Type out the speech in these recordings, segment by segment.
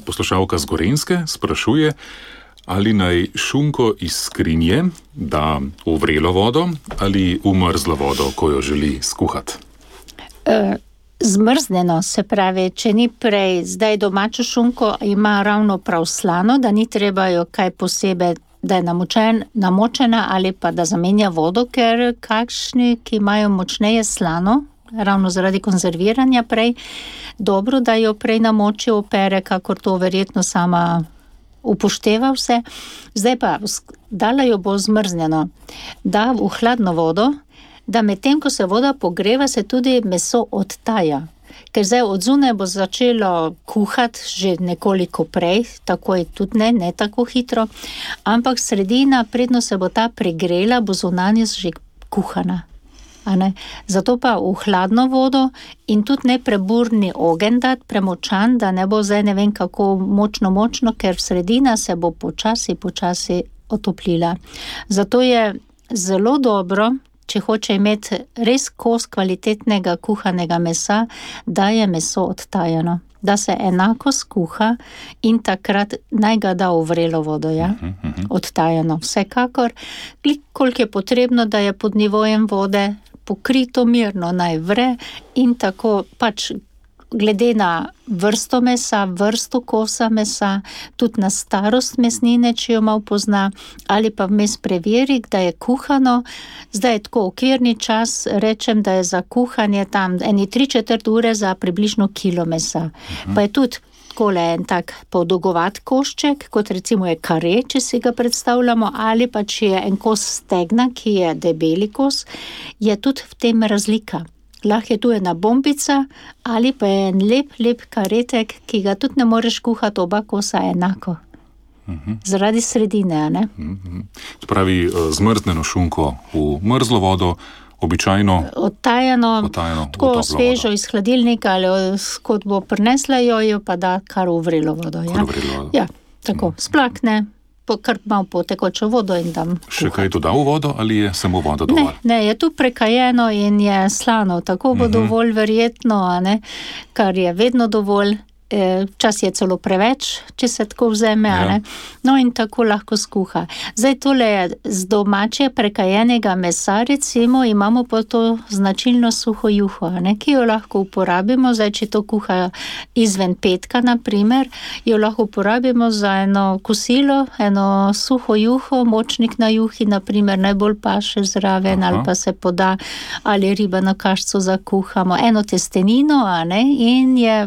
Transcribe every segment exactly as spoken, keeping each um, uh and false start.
Poslušalka z Gorenjske sprašuje, ali naj šunko iz skrinje da v vrelo vodo ali v mrzlo vodo, ko jo želi skuhati. Uh, zmrznjeno, se pravi, če ni prej, zdaj domačo šunko ima ravno prav slano, da ni treba jo kaj posebej, da je namočen, namočena ali pa da zamenja vodo, ker kakšni, ki imajo močneje slano, ravno zaradi konzerviranja prej, dobro, da jo prej namoči, opere, kakor to verjetno sama upošteva vse. Zdaj pa, dala jo bo zmrznjeno, da v hladno vodo, da medtem, ko se voda pogreva, se tudi meso odtaja. Ker zdaj od zunaj bo začelo kuhati že nekoliko prej, takoj tudi ne, ne tako hitro, ampak sredina, predno se bo ta pregrela, bo zunanjost že kuhana. A ne? Zato pa v hladno vodo in tudi ne preburni ogenj dati, premočan, da ne bo zdaj ne vem kako močno, močno, ker sredina se bo počasi, počasi otoplila. Zato je zelo dobro, če hoče imeti res kos kvalitetnega kuhanega mesa, da je meso odtajano, da se enako skuha in takrat naj ga da v vrelo vodo, ja? Odtajano. Vsekakor, koliko je potrebno, da je pod nivojem vode pokrito mirno, naj vre in tako pač glede na vrsto mesa, vrsto kosa mesa, tudi na starost mesnine, če jo malo pozna, ali pa vmes preveri, da je kuhano. Zdaj je tako okvirni čas, rečem, da je za kuhanje tam eni tri četrt ure za približno kilo mesa. Mhm. Pa je tudi takole en tak podolgovat košček, kot recimo je kare, če si ga predstavljamo, ali pa če je en kos stegna, ki je debeli kos, je tudi v tem razlika. Lahko je tu ena bombica ali pa je en lep, lep karetek, ki ga tudi ne moreš kuhati oba kosa enako. Uh-huh. Zaradi sredine, ne? Uh-huh. To pravi, zmrznjeno šunko v mrzlo vodo, običajno odtajano, odtajano tako svežo iz hladilnika ali kot bo prinesla jo, jo pa da kar v vrelo vodo. Ja? Vrelo vodo. Ja, tako, uh-huh. Splakne, kar malo po tekočo vodo in dam kuhati. Še kaj dodal v vodo ali je samo voda dovolj? Ne, ne, je tu prekajeno in je slano, tako bo uh-huh. dovolj verjetno, a ne, kar je vedno dovolj. Včas je celo preveč, če se tako vzeme, ja. Ne? No in tako lahko skuha. Zdaj tole je z domače prekajenega mesa, recimo, imamo pa to značilno suho juho, ne? Ki jo lahko uporabimo, zdaj če to kuha izven petka, na primer, jo lahko uporabimo za eno kosilo, eno suho juho, močnik na juhi, na primer, najbolj paše zraven, aha. Ali pa se poda, ali riba na kašcu zakuhamo, eno testenino, a ne, in je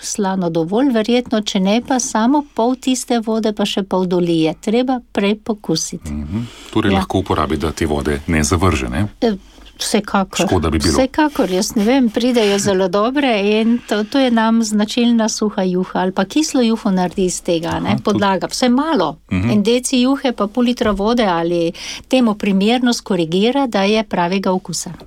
slano dovolj, verjetno, če ne pa samo pol tiste vode, pa še pol dolije. Treba prej pokusiti. Mm-hmm. Torej ja. Lahko uporabi, da te vode ne zavrže, ne? Vsekakor. Škoda bi bilo. Vsekakor, jaz ne vem, pridejo zelo dobre in to, to je nam značilna suha juha ali pa kislo juho naredi iz tega, aha, ne? Podlaga. Vse malo. Mm-hmm. En deci juhe pa pol litra vode ali temu primerno skorigira, da je pravega okusa.